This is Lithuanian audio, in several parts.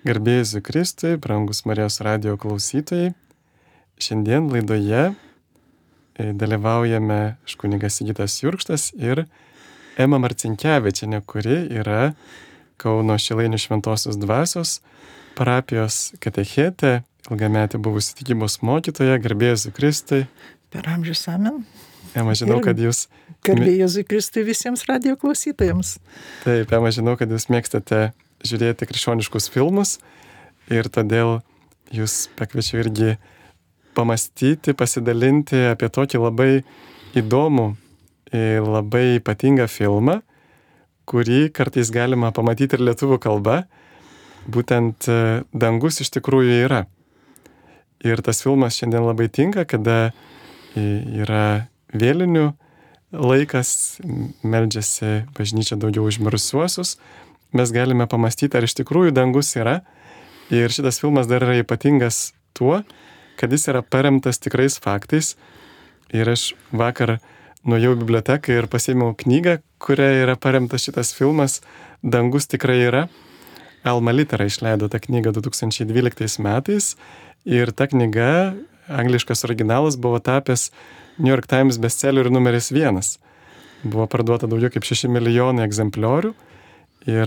Garbė Jėzui Kristui, brangus Marijos radijo klausytojai. Šiandien laidoje dalyvaujame kunigas Sigitas Jurkštas ir Ema Marcinkevičienė, kuri yra Kauno Šilainių Šventosios Dvasios parapijos katechetė, ilgametė buvusi tikybos mokytoja. Garbė Jėzui Kristui. Per amžius amen. Ema, žinau, kad jūs... Garbė Jėzui Kristui visiems radijo klausytojams. Taip, Ema, žinau, kad jūs mėgstate žiūrėti krikščioniškus filmus ir todėl jūs pakviečiu irgi pamastyti, pasidalinti apie tokį labai įdomų ir labai ypatingą filmą, kurį kartais galima pamatyti ir lietuvių kalba. Būtent Dangus iš tikrųjų yra. Ir tas filmas šiandien labai tinka, kada yra vėlinių laikas, meldžiasi bažnyčia daugiau už mirusiuosius. Mes galime pamastyti, ar iš tikrųjų dangus yra. Ir šitas filmas dar yra ypatingas tuo, kad jis yra paremtas tikrais faktais. Ir aš vakar nuėjau į biblioteką ir pasiėmiau knygą, kuria yra paremtas šitas filmas Dangus tikrai yra. Alma Litera išleido tą knygą 2012 metais. Ir ta knyga, angliškas originalas, buvo tapęs New York Times bestsellerių numeris 1. Buvo parduota daugiau kaip 6 milijonai egzempliorių. Ir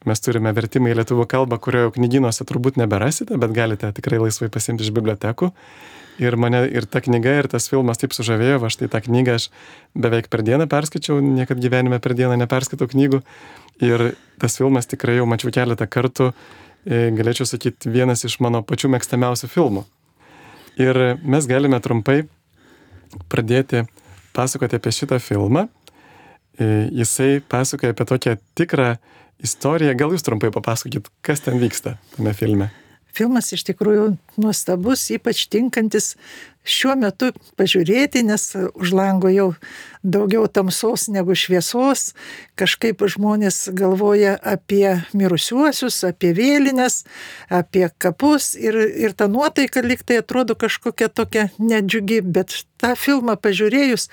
mes turime vertimą į lietuvių kalbą, kurio knygynuose turbūt neberasite, bet galite tikrai laisvai pasiimti iš bibliotekų. Ir mane ir ta knyga, ir tas filmas taip sužavėjo, va štai tą knygą aš beveik per dieną perskaičiau, niekad gyvenime per dieną neperskaitau knygų. Ir tas filmas tikrai jau mačiau keletą kartų, galėčiau sakyti, vienas iš mano pačių mėgstamiausių filmų. Ir mes galime trumpai pradėti pasakoti apie šitą filmą. Jisai pasakoja apie tokią tikrą istoriją. Gal jūs trumpai papasakokit, kas ten vyksta tame filme? Filmas iš tikrųjų nuostabus, ypač tinkantis šiuo metu pažiūrėti, nes už lango jau daugiau tamsos negu šviesos. Kažkaip žmonės galvoja apie mirusiuosius, apie vėlines, apie kapus ir ta nuotaika lyg tai atrodo kažkokia tokia nedžiugi, bet tą filmą pažiūrėjus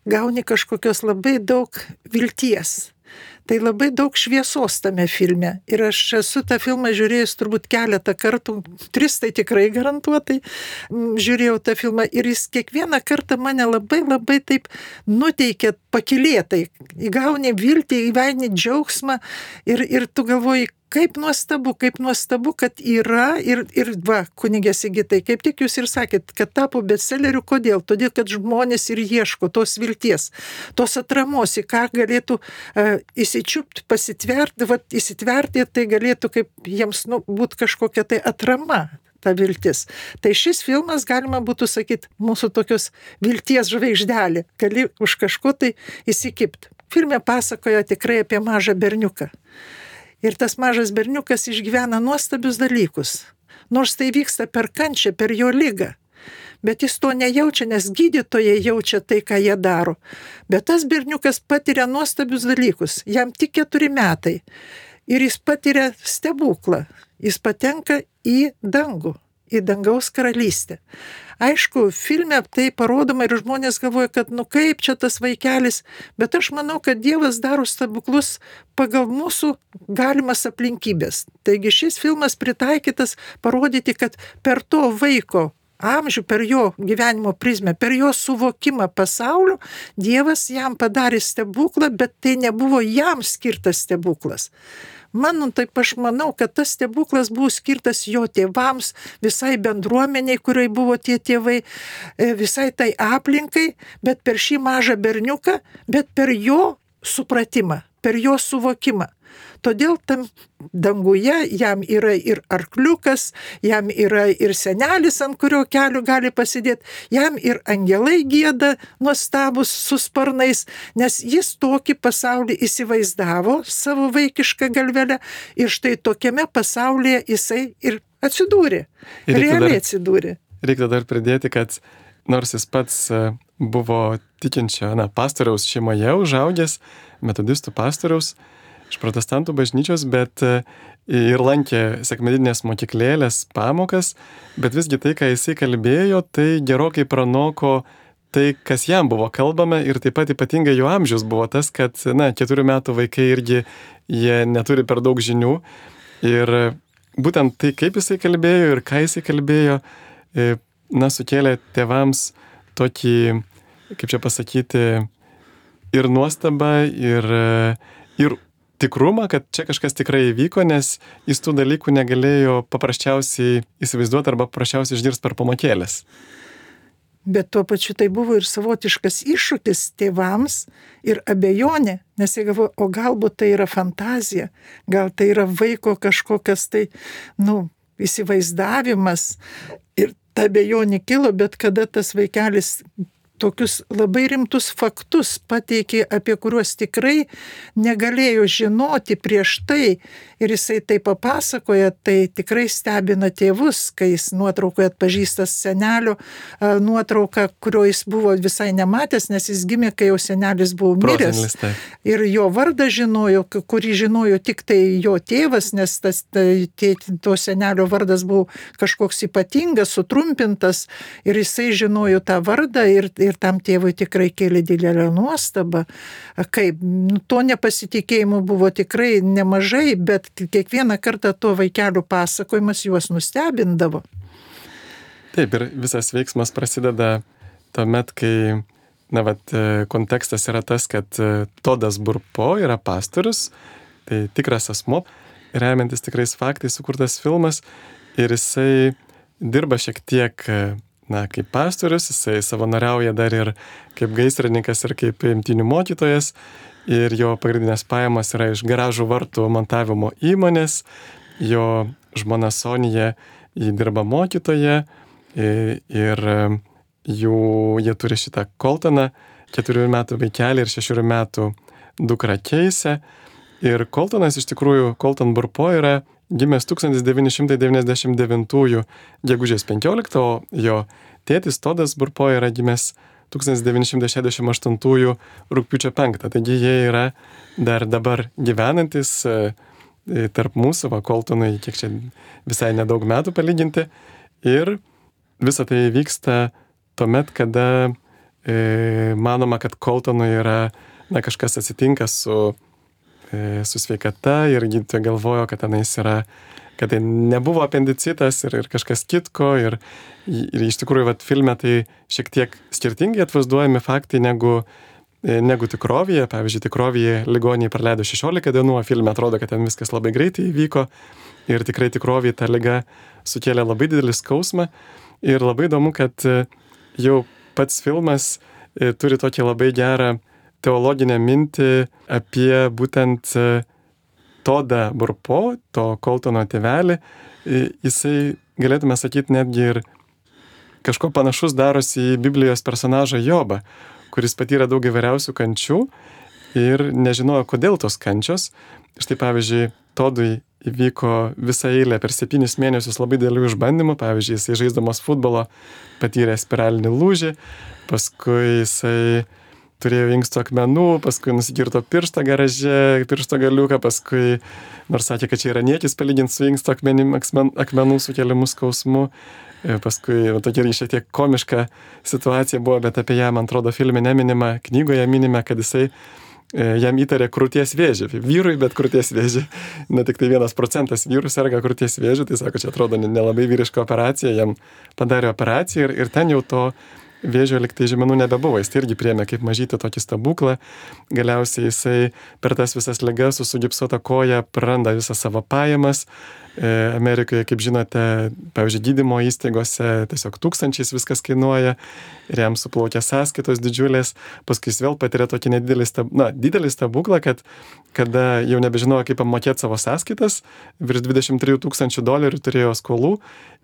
gauni kažkokios labai daug vilties. Tai labai daug šviesos tame filme. Ir aš esu tą filmą žiūrėjus turbūt keletą kartų, 3 tai tikrai garantuotai žiūrėjau tą filmą. Ir jis kiekvieną kartą mane labai taip nuteikia pakylėtai. Įgauni viltį, įgauni džiaugsmą ir tu galvoji, kaip nuostabu, kad yra ir va, kunigė Sigitai, kaip tik jūs ir sakėt, kad tapo bestselleriu, kodėl? Todėl, kad žmonės ir ieško tos vilties, tos atramos, į ką galėtų įsičiupti, pasitverti, va, įsitverti, tai galėtų kaip jiems būti kažkokia tai atrama, ta viltis. Tai šis filmas, galima būtų sakyti, mūsų tokios vilties žvaigždelė, gali už kažko tai įsikipti. Filme pasakoja tikrai apie mažą berniuką. Ir tas mažas berniukas išgyvena nuostabius dalykus. Nors tai vyksta per kančią, per jo ligą. Bet jis to nejaučia, nes gydytojai jaučia tai, ką jie daro. Bet tas berniukas patiria nuostabius dalykus. Jam tik 4 metai. Ir jis patiria stebuklą. Jis patenka į dangų, į dangaus karalystę. Aišku, filme tai parodoma ir žmonės galvoja, kad kaip čia tas vaikelis, bet aš manau, kad Dievas daro stebuklus pagal mūsų galimas aplinkybės. Taigi šis filmas pritaikytas parodyti, kad per to vaiko amžių, per jo gyvenimo prizmę, per jo suvokimą pasaulio, Dievas jam padarė stebuklą, bet tai nebuvo jam skirtas stebuklas. Taip aš manau, kad tas stebuklas buvo skirtas jo tėvams, visai bendruomeniai, kuriai buvo tie tėvai, visai tai aplinkai, bet per šį mažą berniuką, bet per jo supratimą, per jo suvokimą. Todėl tam danguje jam yra ir arkliukas, jam yra ir senelis, ant kurio kelių gali pasidėti, jam ir angelai gieda nuostabus su sparnais, nes jis tokį pasaulį įsivaizdavo savo vaikišką galvelę ir štai tokiame pasaulyje jisai ir atsidūrė, realiai atsidūrė. Reikia dar pridėti, kad nors jis pats buvo tikinčio pastoriaus šeimoje užaugęs, metodistų pastoriaus, iš protestantų bažnyčios, bet ir lankė sekmadieninės mokyklėlės pamokas, bet visgi tai, ką jisai kalbėjo, tai gerokai pranoko tai, kas jam buvo kalbama ir taip pat ypatingai jo amžius buvo tas, kad 4 metų vaikai irgi jie neturi per daug žinių ir būtent tai, kaip jisai kalbėjo ir ką jisai kalbėjo, sukėlė tėvams tokį, kaip čia pasakyti, ir nuostabą, ir tikrumą, kad čia kažkas tikrai įvyko, nes jis tų dalykų negalėjo paprasčiausiai įsivaizduoti arba paprasčiausiai išgirsti per pamokėlės. Bet tuo pačiu tai buvo ir savotiškas iššūkis tėvams ir abejonė, nes jie galvoja, o galbūt tai yra fantazija, gal tai yra vaiko kažkokias tai, įsivaizdavimas. Ir ta abejonė kilo, bet kada tas vaikelis tokius labai rimtus faktus pateikė, apie kuriuos tikrai negalėjo žinoti prieš tai, ir jisai tai papasakoja, tai tikrai stebina tėvus, kai jis nuotraukoje atpažįsta senelio nuotrauką, kurio jis buvo visai nematęs, nes jis gimė, kai jau senelis buvo miręs. Ir jo vardą žinojo, kurį žinojo tik tai jo tėvas, nes to senelio vardas buvo kažkoks ypatingas, sutrumpintas, ir jisai žinojo tą vardą, ir tam tėvui tikrai kėlė didelę nuostabą. Kaip, to nepasitikėjimo buvo tikrai nemažai, bet kiekvieną kartą to vaikelių pasakojimas juos nustebindavo. Taip, ir visas veiksmas prasideda tuomet, kai, kontekstas yra tas, kad Todas Burpo yra pastorius, tai tikras asmuo, remiantis tikrais faktais sukurtas filmas, ir jisai dirba šiek tiek kaip pastorius, jisai savanoriauja dar ir kaip gaisrininkas ir kaip imtynių mokytojas, ir jo pagrindinės pajamos yra iš garažų vartų montavimo įmonės, jo žmona Sonija dirba mokytoja, ir jie turi šitą Coltoną, 4 metų vaikelį ir 6 metų dukrą Keisę. Ir Coltonas iš tikrųjų, Colton Burpo yra gimęs 1999 gegužės 15, o jo tėtis Todas Burpo yra gimęs 1968 rugpjūčio 5. Taigi jie yra dar dabar gyvenantis tarp mūsų, Coltonui, kiek čia visai nedaug metų palyginti. Ir visa tai vyksta tuomet, kada manoma, kad Coltonui yra kažkas atsitinka su sveikata, ir gydytojai galvojo, kad tenais yra, kad tai nebuvo apendicitas ir kažkas kitko, ir iš tikrųjų filme tai šiek tiek skirtingai atvaizduojami faktai negu tikrovėje. Pavyzdžiui, tikrovėje ligoniai praleido 16 dienų, o filme atrodo, kad ten viskas labai greitai įvyko, ir tikrai tikrovėje ta liga sukėlė labai didelį skausmą. Ir labai įdomu, kad jau pats filmas turi tokį labai gerą teologinę mintį apie būtent Todą Burpo, to Coltono tėvelį. Jisai, galėtume sakyti, netgi ir kažko panašus darosi į Biblijos personažą Jobą, kuris patyrė daug įvairiausių kančių ir nežinojo, kodėl tos kančios. Štai pavyzdžiui, Todui įvyko visą eilę per 7 mėnesius labai didelių išbandymų. Pavyzdžiui, jisai žaisdamas futbolo patyrė spiralinį lūžį, paskui jisai turėjo inksto akmenų, paskui nusikirto pirštą garaže, piršto galiuką, paskui, nors sakė, kad čia yra niekis palyginti su inksto akmenų sukeliamu skausmu. Paskui tokia šiek tiek komiška situacija buvo, bet apie ją, man atrodo, filme neminima, knygoje minime, kad jisai jam įtarė krūties vėžį. Vyrui, bet krūties vėžį. Ne tik tai 1% vyrų serga krūties vėžį, tai sako, čia atrodo nelabai vyriška operacija, jam padarė operaciją ir ten jau to vėžio liktai žymenų nebebuvo. Jis tai irgi priėmė kaip mažytį tokį stebuklą. Galiausiai jisai per tas visas ligas su sugipsuota koja praranda visą savo pajamas. Amerikoje, kaip žinote, pavyzdžiui, gydymo įstaigose tiesiog tūkstančiais viskas kainuoja ir jam suplaukia sąskaitos didžiulės. Paskui jis vėl patiria tokį didelį stebuklą, kad kada jau nebežinojo, kaip apmokėti savo sąskaitas, virš $23,000 turėjo skolų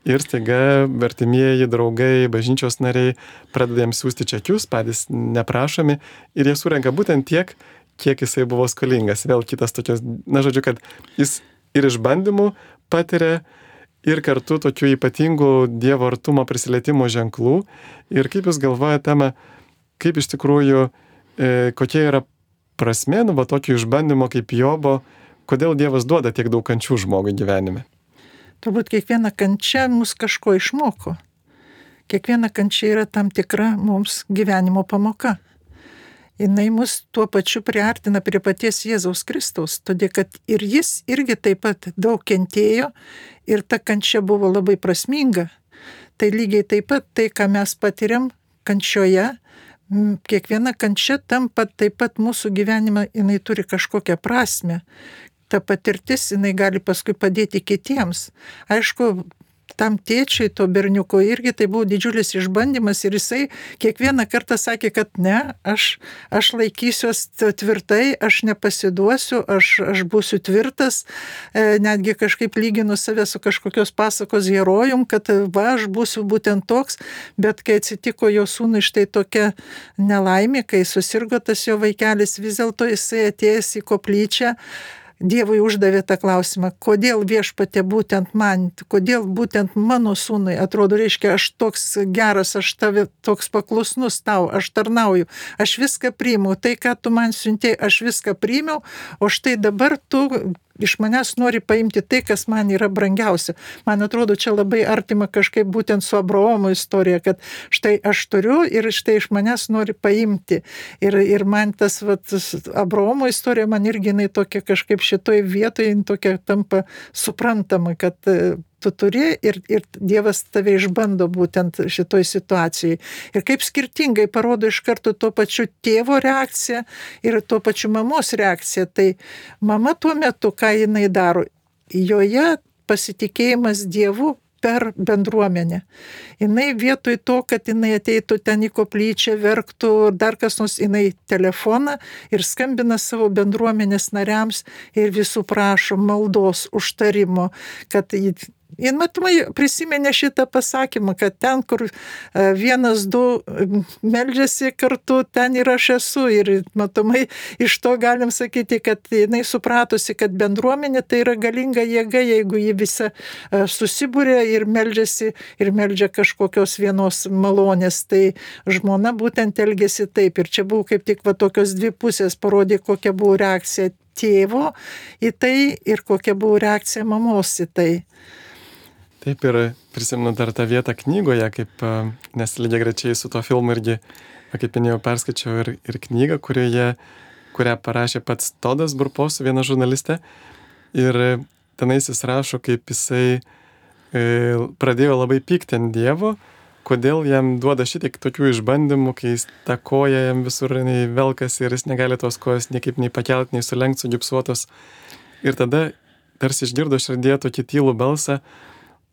ir staiga artimieji, draugai, bažnyčios nariai pradeda jam siųsti čekius, patys neprašomi, ir jie surenka būtent tiek, kiek jisai buvo skolingas. Vėl kitas tokios, kad jis ir išbandymų patiria, ir kartu tokių ypatingų Dievo artumo prisilietimo ženklų. Ir kaip jūs galvojate, Tema, kaip iš tikrųjų, kokia yra prasmė, tokio išbandymo kaip Jobo, kodėl Dievas duoda tiek daug kančių žmogui gyvenime? Turbūt kiekviena kančia mus kažko išmoko. Kiekviena kančia yra tam tikra mums gyvenimo pamoka. jinai mus tuo pačiu priartina prie paties Jėzaus Kristaus, todėl kad ir jis irgi taip pat daug kentėjo ir ta kančia buvo labai prasminga. Tai lygiai taip pat tai, ką mes patiriam kančioje, kiekviena kančia tampa taip pat mūsų gyvenime, jinai turi kažkokią prasmę. Ta patirtis, jinai gali paskui padėti kitiems. Aišku, tam tėčiui, to berniuko irgi tai buvo didžiulis išbandymas ir jisai kiekvieną kartą sakė, kad ne, aš laikysiuos tvirtai, aš nepasiduosiu, aš būsiu tvirtas, netgi kažkaip lyginu save su kažkokios pasakos herojum, kad va, aš būsiu būtent toks, bet kai atsitiko jo sūnui štai tokia nelaimė, kai susirgo tas jo vaikelis, vis dėlto jisai atėjęs į koplyčią, Dievui uždavė tą klausimą, kodėl viešpatie būtent man, kodėl būtent mano sūnui, atrodo, reiškia, aš toks geras, aš tave toks paklusnus tau, aš tarnauju, aš viską priimu, tai ką tu man siuntėjai, aš viską priimiau, o štai dabar tu iš manęs nori paimti tai, kas man yra brangiausia. Man atrodo, čia labai artima kažkaip būtent su Abraomo istorija, kad štai aš turiu ir štai iš manęs nori paimti. Ir man tas Abraomo istorija, man irgi jinai tokia kažkaip šitoj vietoje tokia tampa suprantama, kad tu turi ir Dievas tave išbando būtent šitoj situacijai. Ir kaip skirtingai parodo iš karto tuo pačiu tėvo reakciją ir tuo pačiu mamos reakciją. Tai mama tuo metu, ką jinai daro, joje pasitikėjimas Dievu per bendruomenę. Jinai vietoj to, kad jinai ateitų ten į koplyčią, verktų, dar kas nors, jinai telefoną ir skambina savo bendruomenės nariams ir visų prašo maldos, užtarimo, kad ir matomai prisiminė šitą pasakymą, kad ten, kur vienas, du meldžiasi kartu, ten ir aš esu. Ir matomai iš to galim sakyti, kad jinai supratusi, kad bendruomenė tai yra galinga jėga, jeigu ji visa susibūrė ir meldžiasi ir meldžia kažkokios vienos malonės. Tai žmona būtent elgėsi taip. Ir čia buvo kaip tik tokios dvi pusės, parodė, kokia buvo reakcija tėvo į tai ir kokia buvo reakcija mamos į tai. Taip, ir prisimenu dar tą vietą knygoje, kaip, nes lygiagrečiai su to filmu irgi, kaip minėjau, perskaičiau ir knygą, kurią parašė pats Todas Burposu, viena žurnalistė. Ir tenais jis rašo, kaip jisai pradėjo labai pykti ant Dievo, kodėl jam duoda šitiek tokių išbandymų, kai jis ta koja jam visur velkasi ir jis negali tos kojos niekaip nei pakelt, nei sulenkt, sugipsuotos. Ir tada tarsi išgirdo širdėje tokį tylų balsą,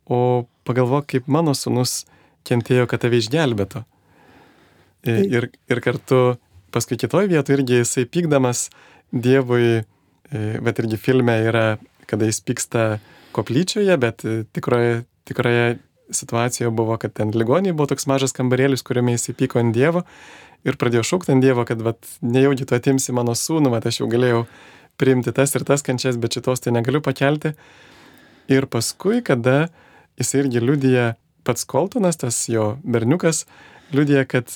o pagalvok, kaip mano sūnus kentėjo, kad tave išgelbėtų. Ir kartu paskui kitoj vietoje irgi jisai pykdamas Dievui, bet irgi filme yra, kada jis pyksta koplyčioje, bet tikroje situacijoje buvo, kad ten ligoniai buvo toks mažas kambarėlis, kuriame jisai pyko ant Dievo ir pradėjo šaukti ant Dievo, kad nejaugi tu atimsi mano sūnų, aš jau galėjau priimti tas ir tas kančias, bet šitos tai negaliu pakelti. Ir paskui, kada jisai irgi liudija, pats Koltonas, tas jo berniukas, liudija, kad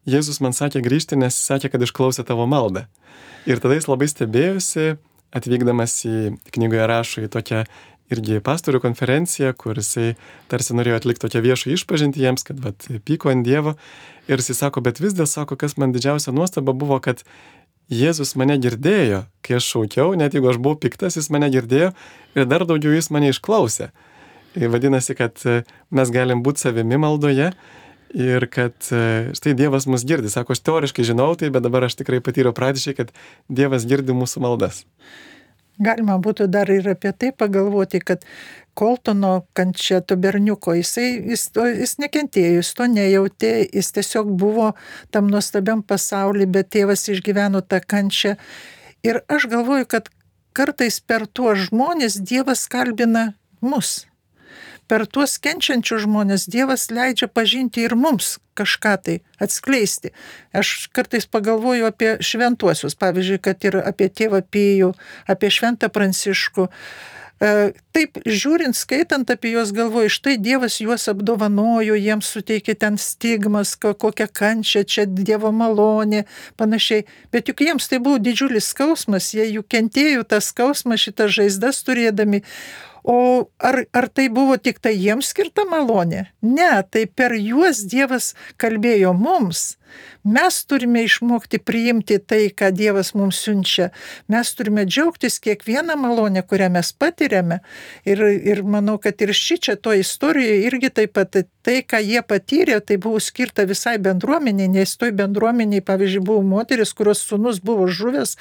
Jėzus man sakė grįžti, nes sakė, kad išklausė tavo maldą. Ir tada jis labai stebėjosi, atvykdamas knygoje rašo į tokią irgi pastorių konferenciją, kur jisai tarsi norėjo atlikti tokią viešą išpažintį jiems, kad pyko ant Dievo. Ir jisai sako, bet vis dėl sako, kas man didžiausia nuostaba buvo, kad Jėzus mane girdėjo, kai aš šaukiau, net jeigu aš buvau piktas, jis mane girdėjo ir dar daugiau jis mane išklausė. Ir vadinasi, kad mes galim būti savimi maldoje ir kad štai Dievas mus girdi. Sako, aš teoriškai žinau tai, bet dabar aš tikrai patyriau praktiškai, kad Dievas girdi mūsų maldas. Galima būtų dar ir apie tai pagalvoti, kad Koltono kančia, to berniuko, jis nekentėjo, jis to nejautė, jis tiesiog buvo tam nuostabiam pasauly, bet tėvas išgyveno tą kančią. Ir aš galvoju, kad kartais per tuos žmonės Dievas kalbina mus. Per tuos kenčiančius žmonės Dievas leidžia pažinti ir mums kažką tai atskleisti. Aš kartais pagalvoju apie šventuosius, pavyzdžiui, kad ir apie tėvą Pijų, apie šventą Pranciškų. Taip, žiūrint, skaitant apie juos, galvoju, štai Dievas juos apdovanojo, jiems suteikė ten stigmas, kokią kančią, čia Dievo malonė, panašiai. Bet juk jiems tai buvo didžiulis skausmas, jie juk kentėjo tą skausmą, šitas žaizdas turėdami. O ar tai buvo tik tai jiems skirta malonė? Ne, tai per juos Dievas kalbėjo mums. Mes turime išmokti priimti tai, ką Dievas mums siunčia. Mes turime džiaugtis kiekvieną malonę, kurią mes patiriame. Ir manau, kad ir šičia to istorijoje irgi taip pat tai, ką jie patyrė, tai buvo skirta visai bendruomeniai, nes toj bendruomeniai, pavyzdžiui, buvo moteris, kurios sūnus buvo žuvęs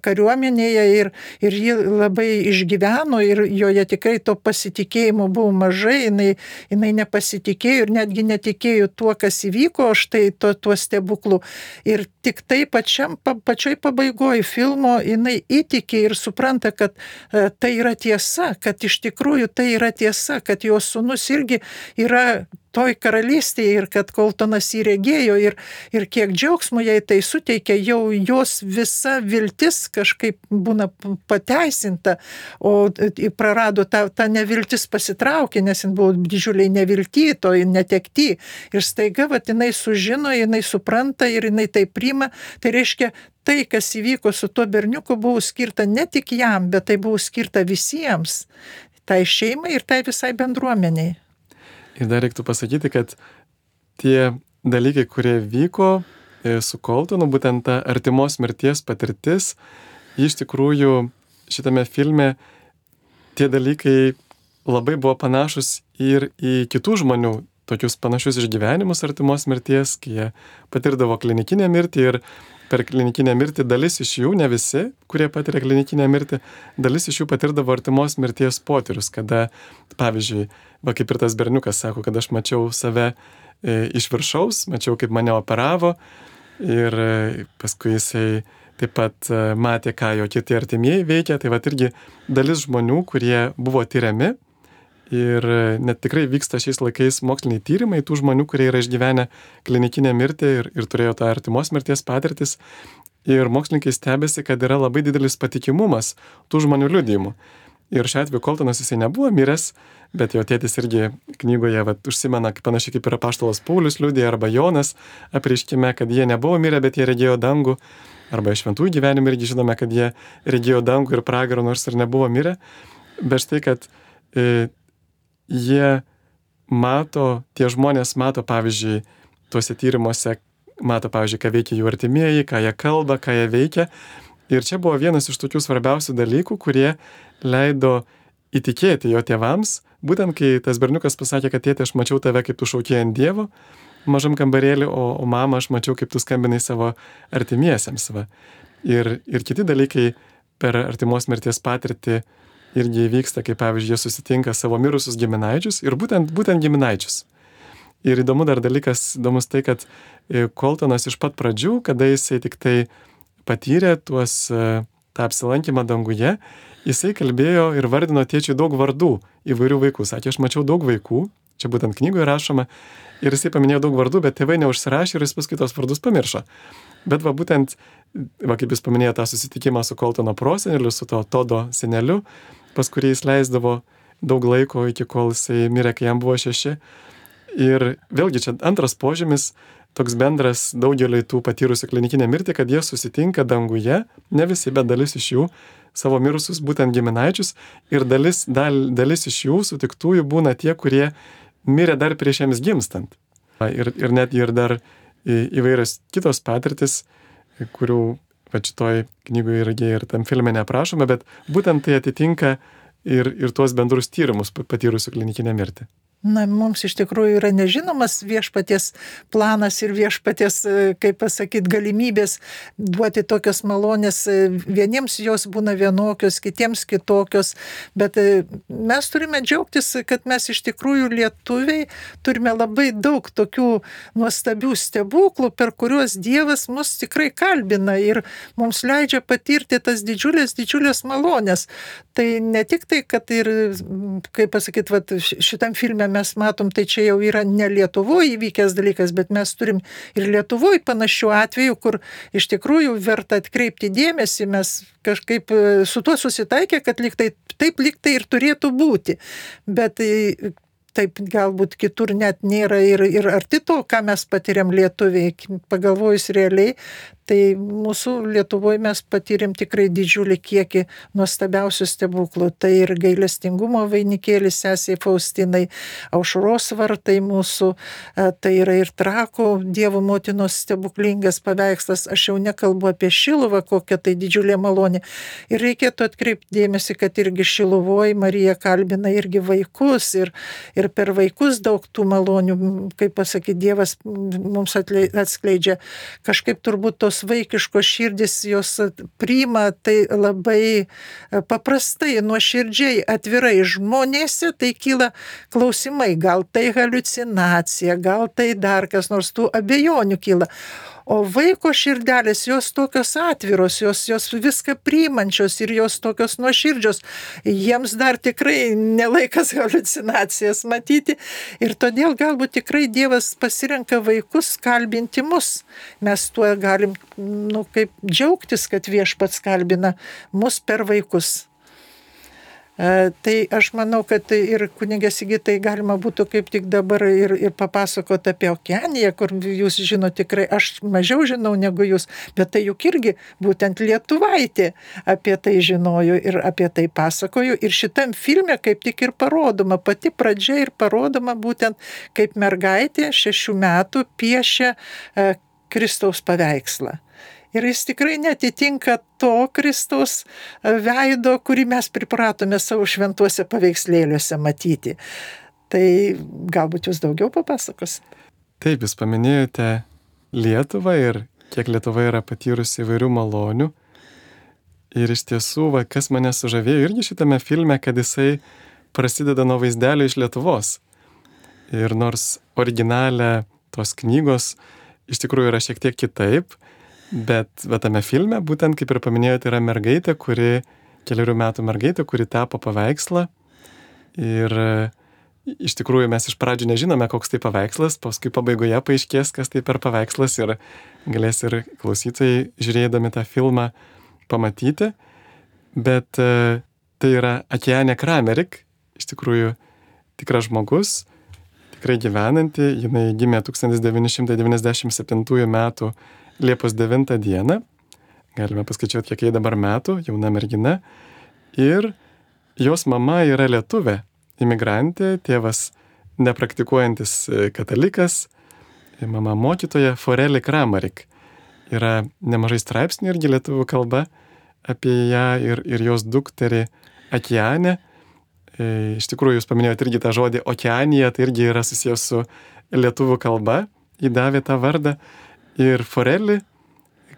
kariuomenėje ir ji labai išgyveno ir joje tikrai to pasitikėjimo buvo mažai, jinai nepasitikėjo ir netgi netikėjo tuo, kas įvyko, štai tuo stebuklų. Ir tik tai pačioj pabaigoje filmo jinai įtikė ir supranta, kad tai yra tiesa, kad iš tikrųjų tai yra tiesa, kad jos sūnus irgi yra toj karalystėje ir kad Coltonas jį regėjo ir kiek džiaugsmo jai tai suteikia, jau jos visa viltis kažkaip būna pateisinta, o prarado tą neviltis pasitraukė, nes jin buvo didžiuliai nevilty, toj netekty. Ir staiga jinai sužino, jinai supranta ir jinai tai priima. Tai reiškia, tai, kas įvyko su tuo berniuku, buvo skirta ne tik jam, bet tai buvo skirta visiems. Tai šeimai ir tai visai bendruomeniai. Ir dar reiktų pasakyti, kad tie dalykai, kurie vyko su Coltonu, būtent ta artimos mirties patirtis, iš tikrųjų šitame filme tie dalykai labai buvo panašus ir į kitų žmonių tokius panašius išgyvenimus artimos mirties, kai jie patirdavo klinikinę mirtį ir per klinikinę mirtį dalis iš jų, ne visi, kurie patiria klinikinę mirtį, dalis iš jų patirdavo artimos mirties potyrius, kada, pavyzdžiui, kaip ir tas berniukas sako, kad aš mačiau save iš viršaus, mačiau, kaip mane operavo ir paskui jisai taip pat matė, ką jo kiti artimieji veikia, tai irgi dalis žmonių, kurie buvo tyriami ir net tikrai vyksta šiais laikais moksliniai tyrimai tų žmonių, kurie yra išgyvenę klinikinę mirtį ir turėjo tą artimos mirties patirtis. Ir mokslininkai stebėsi, kad yra labai didelis patikimumas tų žmonių liudijimų. Ir šiuo atveju Coltonas jisai nebuvo miręs, bet jo tėtis irgi knygoje užsimena, panašiai kaip ir apaštalas Paulius liudija, arba Jonas apreiškime, kad jie nebuvo mirę, bet jie regėjo dangų. Arba iš šventųjų gyvenimų irgi žinome, kad jie regėjo dangų ir pragarą, nors ir nebuvo mirę. Bet štai, kad jie mato, tie žmonės mato, pavyzdžiui, tuose tyrimuose, mato, pavyzdžiui, ką veikia jų artimieji, ką jie kalba, ką jie veikia. Ir čia buvo vienas iš tokių svarbiausių dalykų, kurie leido įtikėti jo tėvams, būtent kai tas berniukas pasakė, kad tėtė, aš mačiau tave, kaip tu šaukėjai ant Dievo mažam kambarėlį, o mama, aš mačiau, kaip tu skambinai savo artimiesiems. Ir kiti dalykai per artimos mirties patirtį irgi įvyksta, kaip pavyzdžiui, jie susitinka savo mirusius giminaičius ir būtent giminaičius. Ir įdomus tai, kad Coltonas iš pat pradžių, kada jisai tik tai patyrė tą apsilankymą danguje, jisai kalbėjo ir vardino tėčiui daug vardų įvairių vaikų. Sakė, aš mačiau daug vaikų, čia būtent knygoje rašoma, ir jisai paminėjo daug vardų, bet tėvai neužsirašė ir jis paskui tos vardus pamiršo. Bet būtent, kaip jis paminėjo tą susitikimą su Coltono proseneliu, su to Todo seneliu, pas kurį jis leisdavo daug laiko, iki kol jisai mirė, kai jam buvo 6. Ir vėlgi čia antras požymis, toks bendras daugeliui tų patyrusių klinikinę mirtį, kad jie susitinka danguje, ne visi, bet dalis iš jų, savo mirusius būtent giminaičius, ir dalis iš jų sutiktųjų būna tie, kurie mirė dar prieš jiems gimstant. Ir net ir dar įvairios kitos patirtis, kurių šitoj knygoje irgi ir tam filme neaprašome, bet būtent tai atitinka ir tuos bendrus tyrimus patyrusių klinikinę mirtį. Na, mums iš tikrųjų yra nežinomas viešpaties planas ir viešpaties, kaip pasakyti, galimybės duoti tokios malonės. Vieniems jos būna vienokios, kitiems kitokios, bet mes turime džiaugtis, kad mes iš tikrųjų lietuviai turime labai daug tokių nuostabių stebuklų, per kuriuos Dievas mus tikrai kalbina ir mums leidžia patirti tas didžiulės malonės. Tai ne tik tai, kad ir, kaip pasakyti, šitam filme mes matom, tai čia jau yra ne Lietuvoje įvykęs dalykas, bet mes turim ir Lietuvoje panašių atvejų, kur iš tikrųjų verta atkreipti dėmesį, mes kažkaip su tuo susitaikė, kad lyg tai ir turėtų būti. Bet taip galbūt kitur net nėra ir arti to, ką mes patiriam lietuviai. Pagalvojus realiai, tai mūsų Lietuvoje mes patyrėm tikrai didžiulį kiekį nuostabiausių stebuklų. Tai ir gailestingumo vainikėlis sesei Faustinai, Aušros vartai mūsų, tai yra ir Trakų Dievo motinos stebuklingas paveikslas. Aš jau nekalbu apie Šiluvą, kokia tai didžiulė malonė. Ir reikėtų atkreipti dėmesį, kad irgi Šiluvoje Marija kalbina irgi vaikus ir per vaikus daug tų malonių, kaip pasakyti, Dievas mums atskleidžia. Kažkaip turbūt tos vaikiškos širdis jos priima tai labai paprastai, nuoširdžiai, atvirai. Žmonėse tai kyla klausimai, gal tai haliucinacija, gal tai dar kas nors, tų abejonių kyla. O vaiko širdelės, jos tokios atviros, jos viską priimančios ir jos tokios nuoširdžios. Jiems dar tikrai nelaikas haliucinacijas matyti. Ir todėl galbūt tikrai Dievas pasirenka vaikus kalbinti mus. Mes tuo galim, kaip džiaugtis, kad Viešpats kalbina mus per vaikus. Tai aš manau, kad ir kunigė Sigitai galima būtų kaip tik dabar ir papasakoti apie Okeaniją, kur jūs žinote tikrai, aš mažiau žinau negu jūs, bet tai juk irgi būtent lietuvaitė apie tai žinojo ir apie tai pasakojo. Ir šitam filme kaip tik ir parodoma, pati pradžia ir parodoma būtent kaip mergaitė 6 metų piešia Kristaus paveikslą. Ir jis tikrai netitinka to Kristaus veido, kurį mes pripratome savo šventuose paveikslėliuose matyti. Tai galbūt jūs daugiau papasakosite? Taip, jūs paminėjote Lietuvą ir kiek Lietuva yra patyrusi įvairių malonių. Ir iš tiesų, kas mane sužavėjo irgi šitame filme, kad jisai prasideda nuo vaizdelio iš Lietuvos. Ir nors originalė tos knygos iš tikrųjų yra šiek tiek kitaip, bet tame filme, būtent kaip ir paminėjote, yra mergaitė, keliarių metų mergaitė, kuri tapo paveikslą. Ir iš tikrųjų mes iš pradžių nežinome, koks tai paveikslas, paskui pabaigoje paaiškės, kas tai per paveikslas ir galės ir klausytojai, žiūrėdami tą filmą, pamatyti. Bet tai yra Okeanija Kramerik, iš tikrųjų tikras žmogus, tikrai gyvenanti. Jinai gimė 1997 metų Liepos 9 dieną, galime paskaičiuoti, kiek jai dabar metų, jauna mergina, ir jos mama yra lietuvė, imigrantė, tėvas nepraktikuojantis katalikas, mama mokytoja Foreli Kramerik. Yra nemažai straipsnių irgi lietuvių kalba apie ją ir jos dukterį Okeanę. Iš tikrųjų, jūs paminėjote irgi tą žodį Okeanija, tai irgi yra susijęs su lietuvių kalba, įdavė tą vardą. Ir Foreli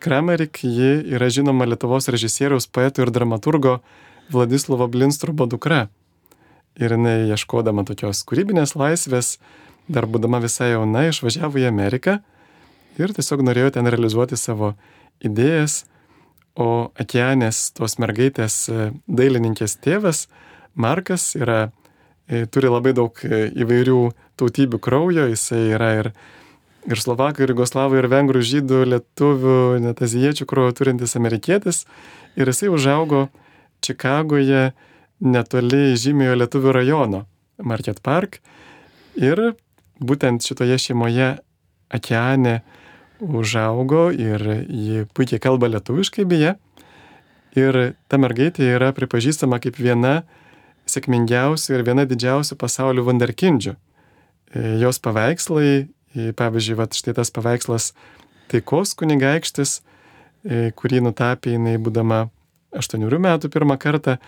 Kramerik, ji yra žinoma Lietuvos režisieriaus, poeto ir dramaturgo Vladislovo Blinstrubo dukra. Ir jinai, ieškodama tokios kūrybinės laisvės, dar būdama visai jauna, išvažiavo į Ameriką ir tiesiog norėjo ten realizuoti savo idėjas. O Okeanės, tos mergaitės dailininkės tėvas, Markas, turi labai daug įvairių tautybių kraujo, jisai yra ir slovakų, ir jugoslavų, ir vengrų, žydų, lietuvių, net azijiečių kraujo turintis amerikietis. Ir jisai užaugo Čikagoje netoli žymiojo lietuvių rajono Market Park. Ir būtent šitoje šeimoje Okeanė užaugo ir ji puikiai kalba lietuviškai beje. Ir ta mergaitė yra pripažįstama kaip viena sėkmingiausių ir viena didžiausių pasaulio vunderkindžių. Jos paveikslai, pavyzdžiui, štai tas paveikslas Taikos kunigaikštis, kurį nutapė jinai būdama 8 metų pirmą kartą,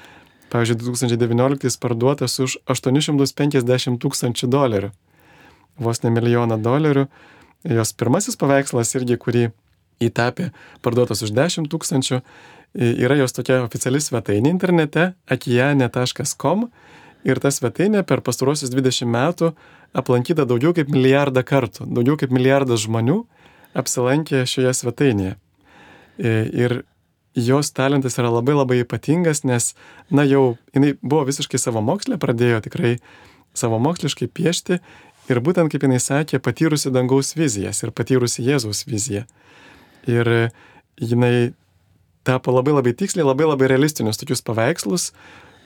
pavyzdžiui, 2019 parduotas už $850,000, vos ne $1 milijoną. Jos pirmasis paveikslas irgi, kurį įtapė, parduotas už $10,000, yra jos tokia oficiali svetainė internete okeanija.com. Ir ta svetainė per pastaruosius 20 metų aplankyta daugiau kaip 1 milijardą kartų. Daugiau kaip 1 milijardas žmonių apsilankė šioje svetainėje. Ir jos talentas yra labai labai ypatingas, nes, jinai buvo visiškai savamokslė, pradėjo tikrai savamoksliškai piešti ir būtent, kaip jinai sakė, patyrusi dangaus vizijas ir patyrusi Jėzaus viziją. Ir jinai tapo labai labai tiksliai, labai labai realistinius tokius paveikslus,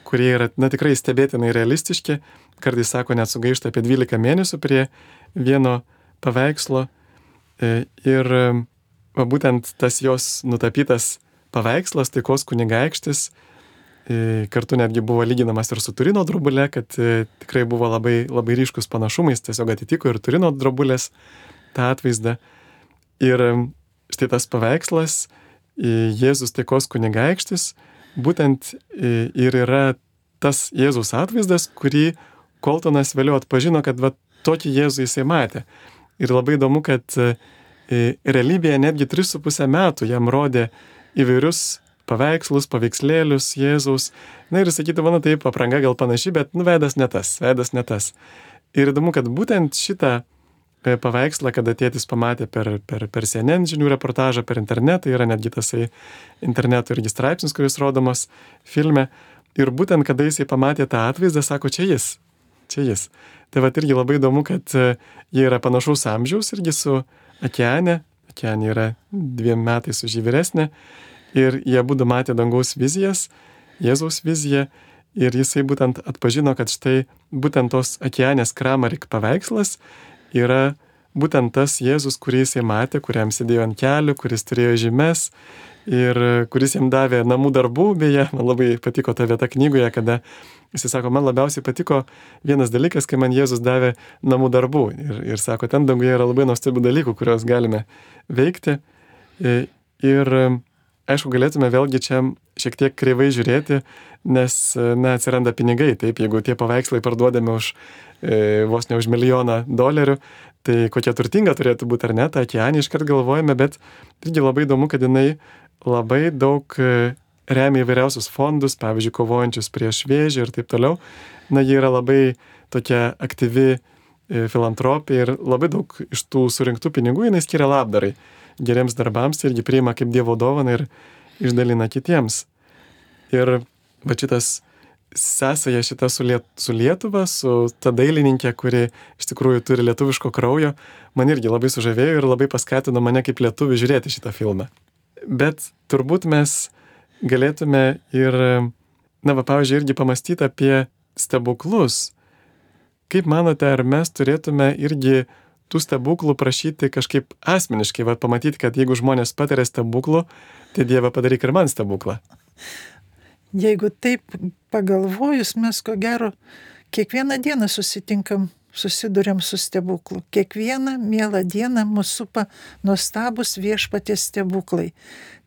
kurie yra, tikrai stebėtinai realistiški. kartais sako, net sugaišta apie 12 mėnesių prie vieno paveikslo. Ir būtent tas jos nutapytas paveikslas, Taikos kunigaikštis, kartu netgi buvo lyginamas ir su Turino drobule, kad tikrai buvo labai, labai ryškus panašumais, tiesiog atitiko ir Turino drobulės tą atvaizdą. Ir štai tas paveikslas, Jėzus Taikos kunigaikštis, būtent ir yra tas Jėzus atvaizdas, kurį Koltonas vėliau atpažino, kad va, tokį Jėzų jisai matė. Ir labai įdomu, kad realybėje netgi 3,5 metų jam rodė įvairius paveikslus, paveikslėlius Jėzaus. Na ir sakydavo, na taip, apranga gal panaši, bet veidas ne tas. Ir įdomu, kad būtent šitą paveikslą, kada tėtis pamatė per CNN žinių reportažą, per internetą, yra netgi tasai interneto irgi straipsnis, kuris rodomas filme. Ir būtent kada jisai pamatė tą atvaizdą, sako, čia jis. Tai va irgi labai įdomu, kad jie yra panašaus amžiaus irgi su Akiane. Akiane yra 2 metais už jį vyresnė. Ir jie būdu matė dangaus vizijas, Jėzaus viziją. Ir jisai būtent atpažino, kad štai būtent tos Akianės Kramarik paveikslas yra būtent tas Jėzus, kurį jisai matė, kuriam sėdėjo ant kelių, kuris turėjo žymes ir kuris jam davė namų darbų. Beje, man labai patiko ta vieta knygoje, kada jisai sako, man labiausiai patiko vienas dalykas, kai man Jėzus davė namų darbų. Ir sako, ten danguje yra labai nuostabių dalykų, kuriuos galime veikti. Ir aišku, galėtume vėlgi čia šiek tiek kreivai žiūrėti, nes atsiranda pinigai. Taip, jeigu tie paveikslai parduodami už vos ne už $1 milijoną, tai kokia turtinga turėtų būti ar ne, tą Akianį iškart galvojame, bet irgi labai įdomu, kad jinai labai daug remia įvairiausius fondus, pavyzdžiui, kovojančius prieš vėžį ir taip toliau. Na, ji yra labai tokia aktyvi filantropė ir labai daug iš tų surinktų pinigų jinai skiria labdarai, geriems darbams, irgi priima kaip Dievo dovaną ir išdalina kitiems. Ir va šitas sąsaja šita su Lietuva, su ta dailininkė, kuri iš tikrųjų turi lietuviško kraujo, man irgi labai sužavėjo ir labai paskatino mane kaip lietuvį žiūrėti šitą filmą. Bet turbūt mes galėtume ir, pavyzdžiui, irgi pamastyti apie stebuklus. Kaip manote, ar mes turėtume irgi tų stebuklų prašyti kažkaip asmeniškai, pamatyti, kad jeigu žmonės patiria stebuklų, tai Dieve padaryk ir man stebuklą? Jeigu taip pagalvojus, mes ko gero kiekvieną dieną susiduriam su stebuklu. Kiekvieną mielą dieną mus supa nuostabus Viešpaties stebuklai.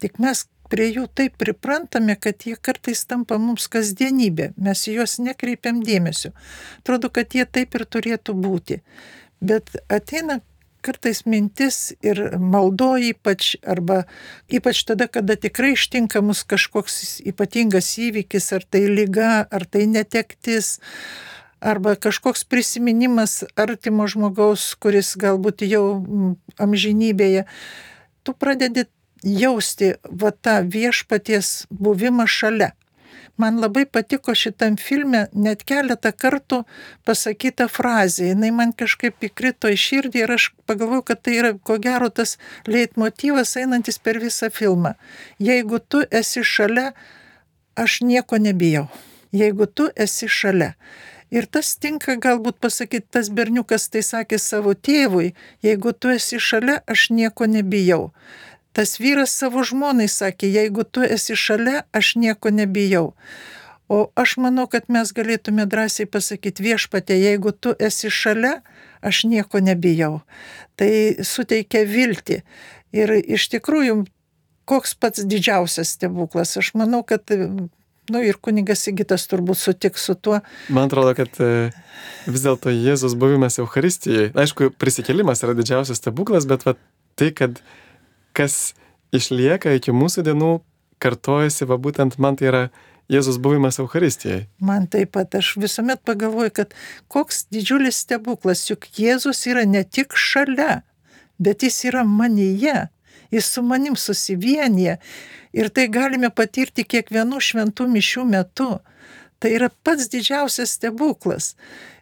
Tik mes prie jų taip priprantame, kad jie kartais tampa mums kasdienybė. Mes į juos nekreipiam dėmesio. Atrodo, kad jie taip ir turėtų būti. Bet ateina kartais mintis ir maldo ypač tada, kada tikrai ištinka mus kažkoks ypatingas įvykis, ar tai liga, ar tai netektis, arba kažkoks prisiminimas artimo žmogaus, kuris galbūt jau amžinybėje. Tu pradedi jausti tą Viešpaties buvimą šalia. Man labai patiko šitam filme net keletą kartų pasakyta frazė. Jinai man kažkaip įkrito į širdį ir aš pagalvojau, kad tai yra ko gero tas leitmotyvas einantis per visą filmą. Jeigu tu esi šalia, aš nieko nebijau. Jeigu tu esi šalia. Ir tas tinka galbūt pasakyti, tas berniukas tai sakė savo tėvui, jeigu tu esi šalia, aš nieko nebijau. Tas vyras savo žmonai sakė, jeigu tu esi šalia, aš nieko nebijau. O aš manau, kad mes galėtume drąsiai pasakyti, Viešpatie, jeigu tu esi šalia, aš nieko nebijau. Tai suteikia viltį. Ir iš tikrųjų, koks pats didžiausias stebuklas. Aš manau, kad ir kunigas Sigitas turbūt sutiks su tuo. Man atrodo, kad vis dėlto Jėzus buvimas Eucharistijoje, aišku, prisikėlimas yra didžiausias stebuklas, bet tai, kad kas išlieka iki mūsų dienų, kartojasi, būtent man tai yra Jėzus buvimas Eucharistijoje. Man taip pat, aš visuomet pagalvoju, kad koks didžiulis stebuklas, juk Jėzus yra ne tik šalia, bet jis yra manyje, jis su manim susivienyje ir tai galime patirti kiekvienų šventų mišių metu. Tai yra pats didžiausias stebuklas.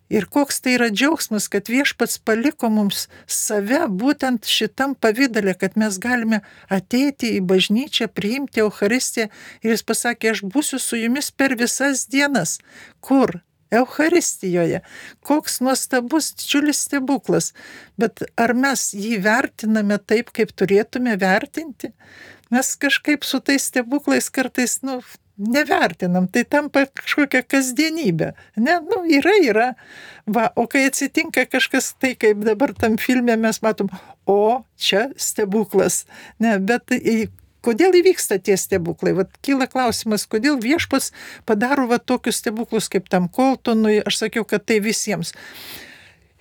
Ir koks tai yra džiaugsmas, kad Viešpats paliko mums save būtent šitam pavidale, kad mes galime ateiti į bažnyčią, priimti Eucharistiją ir jis pasakė, aš būsiu su jumis per visas dienas. Kur? Eucharistijoje. Koks nuostabus, didžiulis stebuklas. Bet ar mes jį vertiname taip, kaip turėtume vertinti? Mes kažkaip su tais stebuklais kartais, nevertinam, tai tampa kažkokia kasdienybė. Ne, yra. Va, o kai atsitinka kažkas tai, kaip dabar tam filme mes matom, o čia stebuklas. Ne, bet kodėl įvyksta tie stebuklai? Vat kyla klausimas, kodėl viešpats padaro tokius stebuklus kaip tam Coltonui, aš sakiau, kad tai visiems.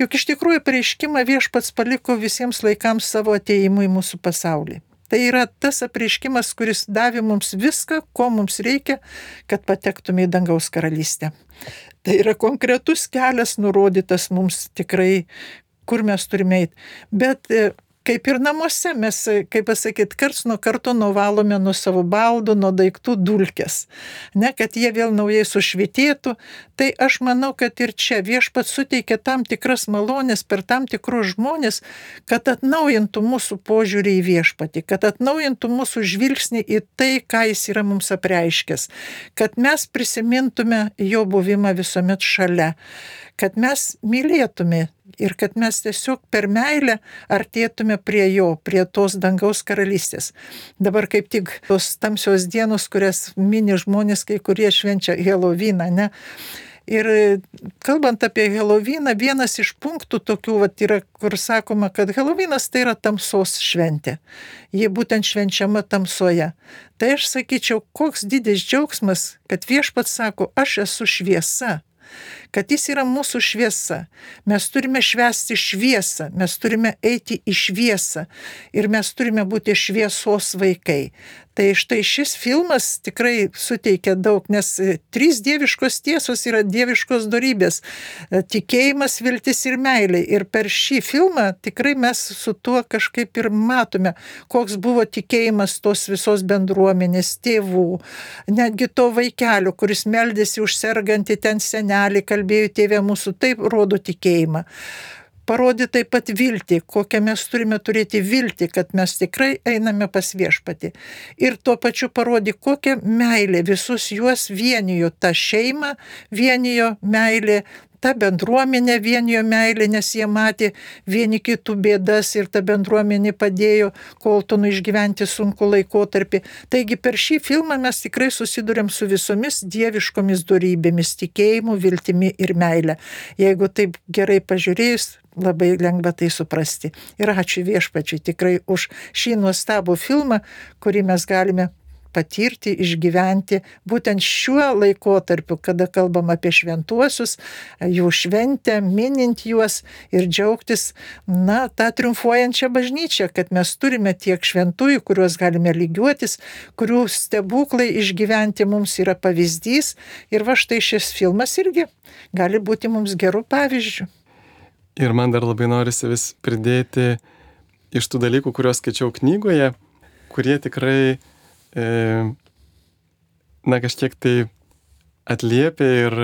Juk iš tikrųjų apreiškimą viešpats paliko visiems laikams savo atėjimui į mūsų pasaulį. Tai yra tas apreiškimas, kuris davė mums viską, ko mums reikia, kad patektume į dangaus karalystę. Tai yra konkretus kelias nurodytas mums tikrai, kur mes turime eiti. Bet kaip ir namuose mes, kaip pasakyti, karts nuo karto nuvalome nuo savo baldų, nuo daiktų dulkes, ne, kad jie vėl naujai sušvitėtų. Tai aš manau, kad ir čia viešpats suteikia tam tikras malonės per tam tikrus žmonės, kad atnaujintų mūsų požiūrį į viešpatį, kad atnaujintų mūsų žvilgsnį į tai, ką jis yra mums apreiškęs, kad mes prisimintume jo buvimą visuomet šalia, kad mes mylėtume ir kad mes tiesiog per meilę artėtume prie jo, prie tos dangaus karalystės. Dabar kaip tik tos tamsios dienos, kurias mini žmonės, kai kurie švenčia Helovyną, ne? Ir kalbant apie Helovyną, vienas iš punktų tokių yra, kur sakoma, kad Helovynas tai yra tamsos šventė. Ji būtent švenčiama tamsoje. Tai aš sakyčiau, koks didis džiaugsmas, kad viešpats sako, aš esu šviesa. Kad jis yra mūsų šviesa. Mes turime švęsti šviesą, mes turime eiti į šviesą ir mes turime būti šviesos vaikai. Tai štai šis filmas tikrai suteikia daug, nes 3 dieviškos tiesos yra dieviškos dorybės - tikėjimas, viltis ir meilė. Ir per šį filmą tikrai mes su tuo kažkaip ir matome, koks buvo tikėjimas tos visos bendruomenės, tėvų, netgi to vaikelio, kuris meldėsi už sergantį ten senelį, kalbėjo tėve mūsų, taip rodo tikėjimą. Parodė taip pat viltį, kokią mes turime turėti viltį, kad mes tikrai einame pas viešpatį. Ir tuo pačiu parodė, kokią meilę visus juos vienijo, tą šeimą vienijo meilė, ta bendruomenė vienijo meilė, nes jie matė vieni kitų bėdas ir ta bendruomenė padėjo Coltonui išgyventi sunku laikotarpį. Taigi per šį filmą mes tikrai susidurėm su visomis dieviškomis dorybėmis, tikėjimu, viltimi ir meilė. Jeigu taip gerai pažiūrėjus, labai lengva tai suprasti. Ir ačiū viešpačiui tikrai už šį nuostabų filmą, kurį mes galime patirti, išgyventi būtent šiuo laikotarpiu, kada kalbam apie šventuosius, jų šventę, minint juos ir džiaugtis, tą triumfuojančią bažnyčią, kad mes turime tiek šventųjų, kuriuos galime lygiuotis, kurių stebuklai išgyventi mums yra pavyzdys. Ir va štai šis filmas irgi gali būti mums gerų pavyzdžių. Ir man dar labai norisi vis pridėti iš tų dalykų, kuriuos skaičiau knygoje, kurie tikrai kažkiek tai atliepia ir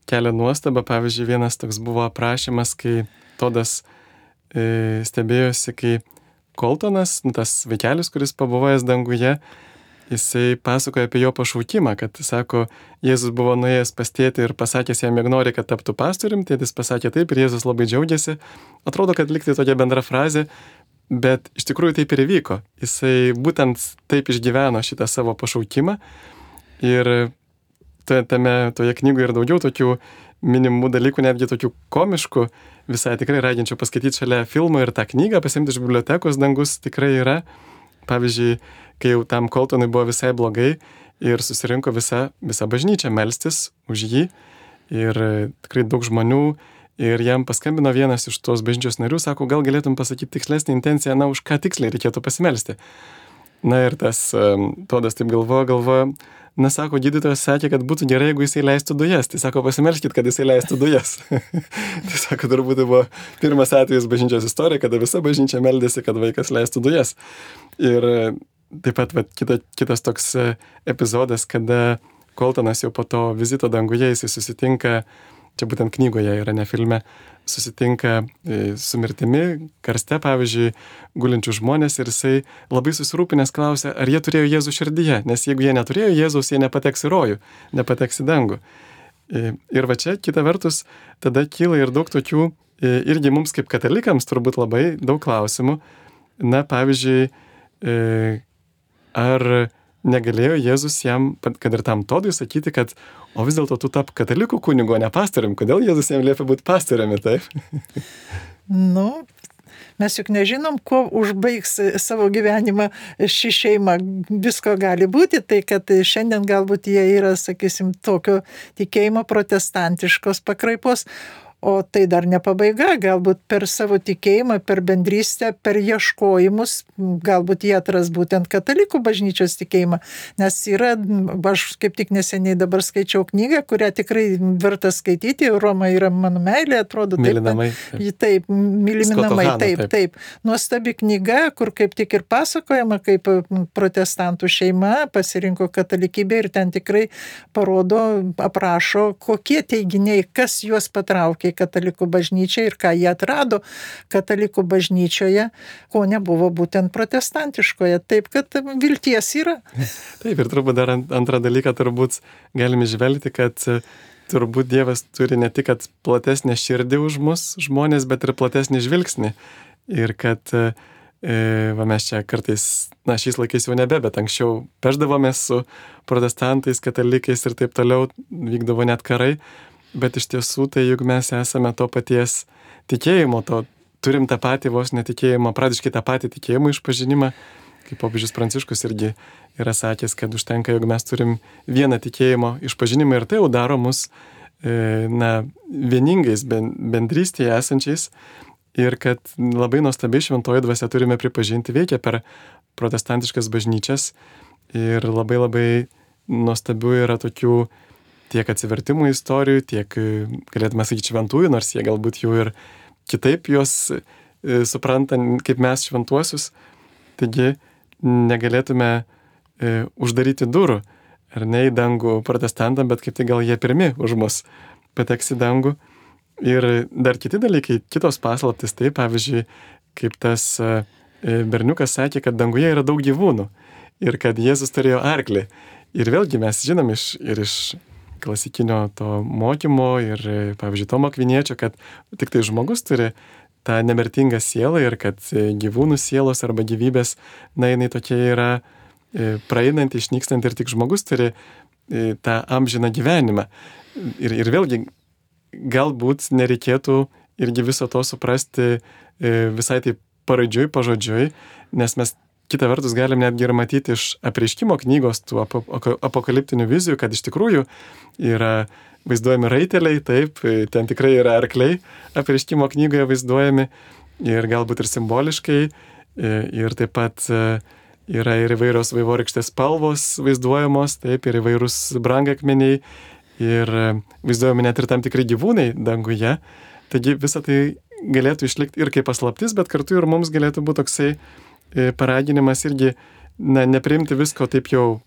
kelia nuostabą. Pavyzdžiui, vienas toks buvo aprašymas, kai Todas stebėjosi, kai Coltonas, tas vaikelis, kuris pabuvojęs danguje, jisai pasakoja apie jo pašaukimą, kad, sako, Jėzus buvo nuėjęs pas tėtį ir pasakęs jam, jog nori, kad taptų pastorium, tėtis pasakė taip ir Jėzus labai džiaugiasi. Atrodo, kad liktai tokia bendra frazė, bet iš tikrųjų taip ir įvyko. Jisai būtent taip išgyveno šitą savo pašaukimą ir toje knygoje ir daugiau tokių minimų dalykų, netgi tokių komiškų, visai tikrai raginčiau paskaityti šalia filmo ir tą knygą, pasimti iš bibliotekos, dangus tikrai yra. Pavyzdžiui, kai jau tam Coltonui buvo visai blogai ir susirinko visa bažnyčia melstis už jį ir tikrai daug žmonių. Ir jam paskambino vienas iš tos bažnyčios narių, sako, gal galėtum pasakyti tikslesnį intenciją, už ką tiksliai reikėtų pasimelsti. Ir tas Todas taip galvoja, sako, gydytojas sakė, kad būtų gerai, jeigu jisai leistų dujas. Tai sako, pasimelskit, kad jisai leistų dujas. Tai sako, turbūt buvo pirmas atvejis bažnyčios istorija, kada visa bažnyčia meldėsi, kad vaikas leistų dujas. Ir taip pat kitas toks epizodas, kada Coltonas jau po to vizito danguje jisai susitinka, čia būtent knygoje yra, ne filme, susitinka su mirtimi, karste, pavyzdžiui, gulinčių žmonės ir jisai labai susirūpinęs klausia, ar jie turėjo Jėzų širdyje, nes jeigu jie neturėjo Jėzaus, jie nepateks į rojų, nepateks į dangų. Ir va čia, kita vertus, tada kyla ir daug tokių, irgi mums kaip katalikams turbūt labai daug klausimų. Na, pavyzdžiui, ar negalėjo Jėzus jam, kad ir tam Todui, sakyti, kad o vis dėlto tu tap katalikų kunigu, o ne pastorium. Kodėl Jėzus jam liepia būti pastoriumi, taip? Nu, mes juk nežinom, kuo užbaigs savo gyvenimą ši šeima. Visko gali būti, tai kad šiandien galbūt jie yra, sakysim, tokio tikėjimo protestantiškos pakraipos. O tai dar ne pabaiga, galbūt per savo tikėjimą, per bendrystę, per ieškojimus, galbūt jie atras būtent katalikų bažnyčios tikėjimą. Nes yra, aš kaip tik neseniai dabar skaičiau knygą, kurią tikrai verta skaityti, Roma yra mano meilė, atrodo. Mylinamai. Taip, myliminamai, taip. Nuostabi knyga, kur kaip tik ir pasakojama, kaip protestantų šeima pasirinko katalikybę ir ten tikrai parodo, aprašo, kokie teiginiai, kas juos patraukė katalikų bažnyčiai ir ką jie atrado katalikų bažnyčioje, ko nebuvo būtent protestantiškoje. Taip, kad vilties yra. Taip, ir turbūt dar antrą dalyką turbūt galime žvelgti, kad turbūt Dievas turi ne tik platesnę širdį už mus žmonės, bet ir platesnį žvilgsnį. Ir kad mes čia kartais, šiais laikais jau nebe, bet anksčiau pešdavomės su protestantais, katalikais ir taip toliau, vykdavo net karai. Bet iš tiesų, tai juk mes esame to paties tikėjimo, turim tą patį vos netikėjimą, pradiškai tą patį tikėjimo išpažinimą, kaip popiežius Pranciškus irgi yra sakęs, kad užtenka, jog mes turim vieną tikėjimo išpažinimą ir tai jau daro mus vieningais, bendrystėje esančiais ir kad labai nuostabiai šventoji dvasia turime pripažinti veikia per protestantiškas bažnyčias ir labai labai nuostabių yra tokių tiek atsivertimų istorijų, tiek, galėtume sakyti, šventųjų, nors jie galbūt jau ir kitaip juos supranta kaip mes šventuosius. Taigi negalėtume uždaryti durų, ar ne į dangų protestantam, bet kaip tai gal jie pirmi už mus pateks į dangų. Ir dar kiti dalykai, kitos paslaptis, tai pavyzdžiui, kaip tas berniukas sakė, kad danguje yra daug gyvūnų ir kad Jėzus turėjo arklį. Ir vėlgi mes žinom iš klasikinio to mokymo ir, pavyzdžiui, Tomo Akviniečio, kad tik tai žmogus turi tą nemirtingą sielą ir kad gyvūnų sielos arba gyvybės, jinai tokia yra praeinanti, išnykstanti ir tik žmogus turi tą amžiną gyvenimą. Ir vėlgi, galbūt nereikėtų irgi viso to suprasti visai taip pažodžiui, nes mes kita vertus galim netgi ir matyti iš apreiškimo knygos tų apokaliptinių vizijų, kad iš tikrųjų yra vaizduojami raiteliai, taip, ten tikrai yra arkliai apreiškimo knygoje vaizduojami ir galbūt ir simboliškai, ir taip pat yra ir įvairios vaivorykštės spalvos vaizduojamos, taip, ir įvairūs brangakmeniai, ir vaizduojami net ir tam tikrai gyvūnai danguje. Taigi visą tai galėtų išlikti ir kaip paslaptis, bet kartu ir mums galėtų būti toksai paraginimas irgi nepriimti visko taip jau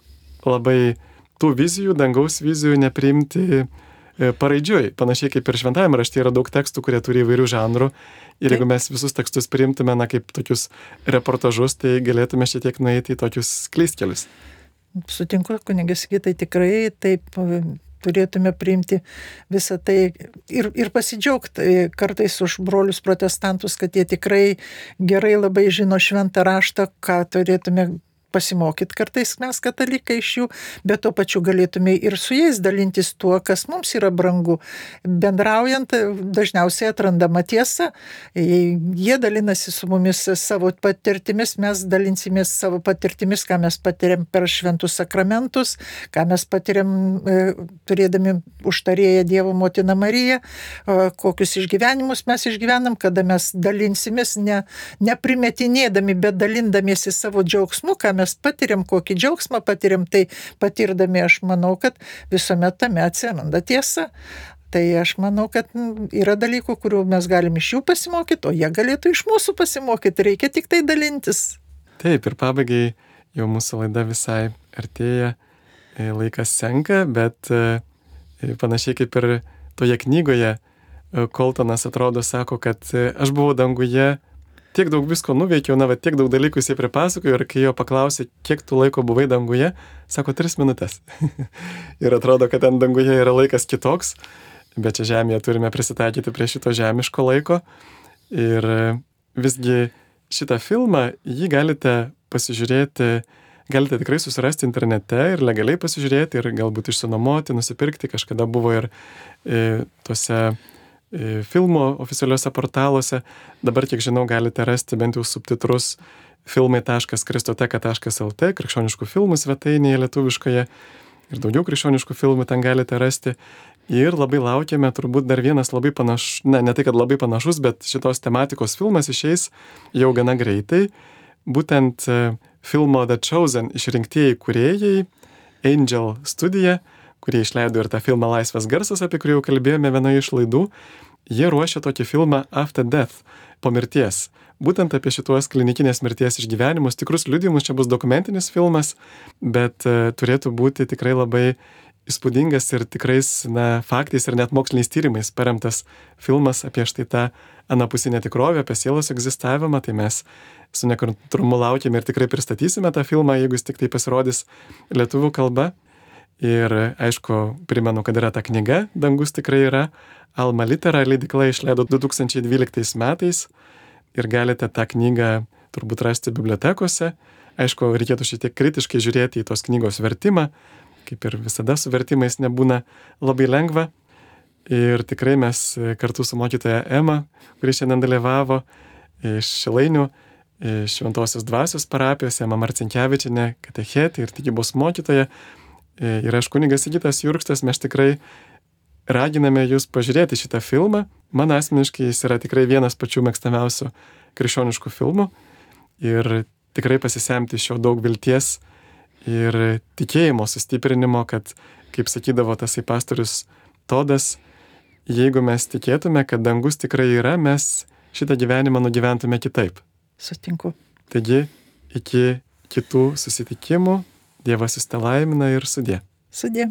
labai tų vizijų, dangaus vizijų nepriimti paraidžiui. Panašiai kaip ir šventajame rašte yra daug tekstų, kurie turi įvairių žanrų. Ir jeigu mes visus tekstus priimtume kaip tokius reportažus, tai galėtume šiek tiek nueiti į tokius klystkelius. Sutinku, kunigas Sigitai, tikrai taip turėtume priimti visą tai ir pasidžiaugti kartais už brolius protestantus, kad jie tikrai gerai labai žino šventą raštą, ką turėtume pasimokyti kartais mes katalikai iš jų, bet tuo pačiu galėtume ir su jais dalintis tuo, kas mums yra brangu. Bendraujant dažniausiai atrandama tiesa, jie dalinasi su mumis savo patirtimis, mes dalinsimės savo patirtimis, ką mes patiriam per šventus sakramentus, ką mes patiriam turėdami užtarėję Dievo motiną Mariją, kokius išgyvenimus mes išgyvenam, kada mes dalinsimės, neprimetinėdami, bet dalindamiesi savo džiaugsmu, ką mes patiriam, kokį džiaugsmą patiriam, tai patirdami aš manau, kad visuomet tame atsiranda tiesa. Tai aš manau, kad yra dalykų, kurių mes galim iš jų pasimokyti, o jie galėtų iš mūsų pasimokyti, reikia tik tai dalintis. Taip, ir pabaigai jau mūsų laida visai artėja, laikas senka, bet panašiai kaip ir toje knygoje Koltonas atrodo sako, kad aš buvau danguje tiek daug visko nuveikiau, tiek daug dalykų jisai pripasakojo ir kai jo paklausė, kiek tu laiko buvai danguje, sako 3 minutės. Ir atrodo, kad ten danguje yra laikas kitoks, bet čia žemėje turime prisitaikyti prie šito žemiško laiko. Ir visgi šitą filmą, jį galite pasižiūrėti, galite tikrai susirasti internete ir legaliai pasižiūrėti ir galbūt išsinuomoti, nusipirkti. Kažkada buvo ir tuose filmų oficialiuose portaluose. Dabar, kiek žinau, galite rasti bent jau subtitrus filmai.kristoteka.lt, krikščioniškų filmų svetainėje lietuviškoje. Ir daugiau krikščioniškų filmų ten galite rasti. Ir labai laukiame turbūt dar vienas labai panašus, ne tai, kad labai panašus, bet šitos tematikos filmas išeis jau gana greitai. Būtent filmo The Chosen išrinktieji kūrėjai, Angel Studio, kurie išleido ir tą filmą Laisvas garsas, apie kurį jau kalbėjome vienoje iš laidų, jie ruošia tokį filmą After Death, po mirties. Būtent apie šituos klinikinės mirties išgyvenimus, tikrus liudijimus, čia bus dokumentinis filmas, bet turėtų būti tikrai labai įspūdingas ir tikrais faktais ir net moksliniais tyrimais paremtas filmas apie štai tą anapusinę tikrovę, apie sielos egzistavimą. Tai mes su nekantrumu laukiame ir tikrai pristatysime tą filmą, jeigu jis tik tai pasirodys lietuvių kalba. Ir aišku, primenu, kad yra ta knyga Dangus tikrai yra. Alma Litera leidykla išleido 2012 metais ir galite tą knygą turbūt rasti bibliotekose. Aišku, reikėtų šiek tiek kritiškai žiūrėti į tos knygos vertimą, kaip ir visada su vertimais nebūna labai lengva. Ir tikrai mes kartu su mokytoja Ema, kuri šiandien dalyvavo iš Šilainių, Šventosios dvasios parapijos, Ema Marcinkevičienė, katechetė ir tikybos mokytoja, ir aš kunigas Sigitas Jurkstas, mes tikrai raginame jūs pažiūrėti šitą filmą. Man asmeniškai jis yra tikrai vienas pačių mėgstamiausių krikščioniškų filmų ir tikrai pasisemti iš jo daug vilties ir tikėjimo sustiprinimo, kad, kaip sakydavo tasai pastorius Todas, jeigu mes tikėtume, kad dangus tikrai yra, mes šitą gyvenimą nugyventume kitaip. Sutinku. Taigi, iki kitų susitikimų, Dievas jus te laimina ir sudie. Sudie.